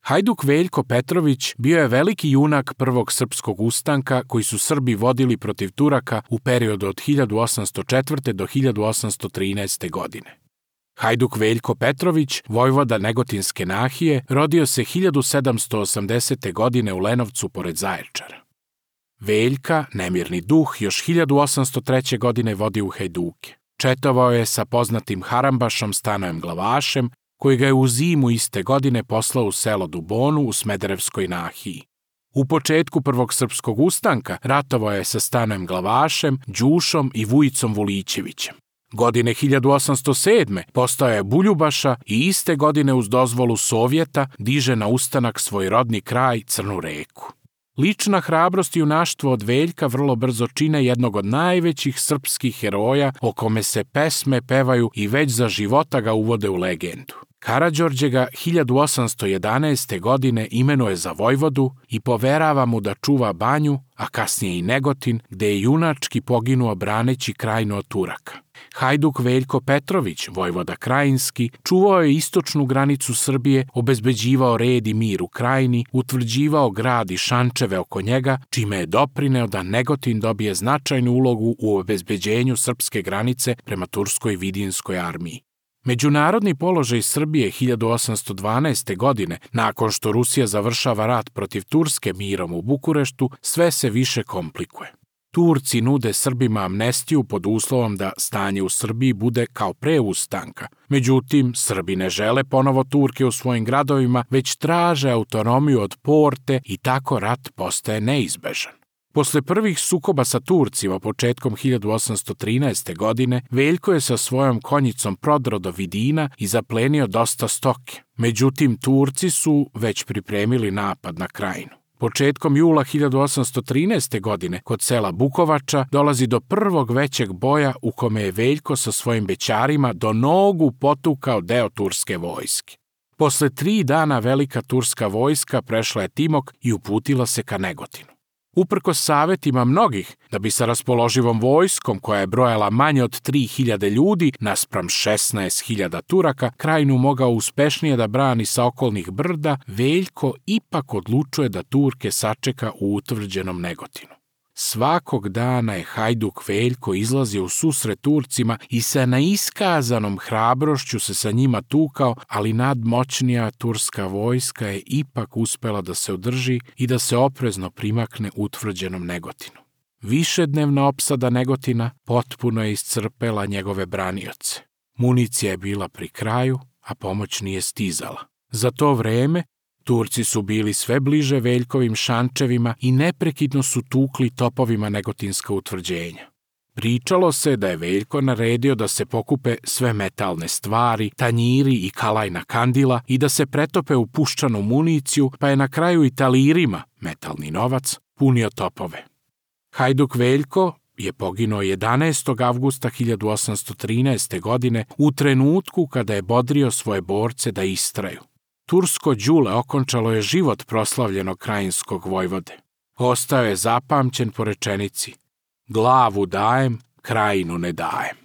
Hajduk Veljko Petrović bio je veliki junak prvog srpskog ustanka koji su Srbi vodili protiv Turaka u periodu od 1804. do 1813. godine. Hajduk Veljko Petrović, vojvoda Negotinske nahije, rodio se 1780. godine u Lenovcu pored Zaječara. Veljka, nemirni duh, još 1803. godine vodi u Hajduke. Četovao je sa poznatim Harambašom Stanojem Glavašem, koji ga je u zimu iste godine poslao u selo Dubonu u Smederevskoj nahiji. U početku prvog srpskog ustanka ratovao je sa Stanojem Glavašem, Đušom i Vujicom Vulićevićem. Godine 1807. postao je Buljubaša i iste godine uz dozvolu Sovjeta diže na ustanak svoj rodni kraj Crnu Reku. Lična hrabrost i junaštvo od Veljka vrlo brzo čine jednog od najvećih srpskih heroja o kome se pesme pevaju i već za života ga uvode u legendu. Karađorđe ga 1811. godine imenuje za vojvodu i poverava mu da čuva Banju, a kasnije i Negotin, gde je junački poginuo braneći Krajinu od Turaka. Hajduk Veljko Petrović, vojvoda Krajinski, čuvao je istočnu granicu Srbije, obezbeđivao red i mir u Krajini, utvrđivao grad i šančeve oko njega, čime je doprineo da Negotin dobije značajnu ulogu u obezbeđenju srpske granice prema turskoj vidinskoj armiji. Međunarodni položaj Srbije 1812. godine, nakon što Rusija završava rat protiv Turske mirom u Bukureštu, sve se više komplikuje. Turci nude Srbima amnestiju pod uslovom da stanje u Srbiji bude kao pre ustanka. Međutim, Srbi ne žele ponovo Turke u svojim gradovima, već traže autonomiju od Porte i tako rat postaje neizbežan. Posle prvih sukoba sa Turcima početkom 1813. godine, Veljko je sa svojom konjicom prodro do Vidina i zaplenio dosta stoke. Međutim, Turci su već pripremili napad na Krajinu. Početkom jula 1813. godine kod sela Bukovača dolazi do prvog većeg boja u kome je Veljko sa svojim bećarima do nogu potukao deo turske vojske. Posle 3 dana velika turska vojska prešla je Timok i uputila se ka Negotinu. Uprkos savetima mnogih da bi sa raspoloživom vojskom koja je brojala manje od 3.000 ljudi naspram 16.000 Turaka Krajinu mogao uspešnije da brani sa okolnih brda, Veljko ipak odlučuje da Turke sačeka u utvrđenom Negotinu. Svakog dana je Hajduk Veljko izlazio u susret Turcima i sa neiskazanom hrabrošću se sa njima tukao, ali nadmoćnija turska vojska je ipak uspela da se održi i da se oprezno primakne utvrđenom Negotinu. Višednevna opsada Negotina potpuno je iscrpela njegove branioce. Municija je bila pri kraju, a pomoć nije stizala. Za to vreme Turci su bili sve bliže Veljkovim šančevima i neprekidno su tukli topovima negotinska utvrđenja. Pričalo se da je Veljko naredio da se pokupe sve metalne stvari, tanjiri i kalajna kandila i da se pretope u puščanu municiju, pa je na kraju i talirima, metalni novac, punio topove. Hajduk Veljko je poginuo 11. avgusta 1813. godine u trenutku kada je bodrio svoje borce da istraju. Tursko đule okončalo je život proslavljenog krajinskog vojvode. Ostao je zapamćen po rečenici: glavu dajem, Krajinu ne dajem.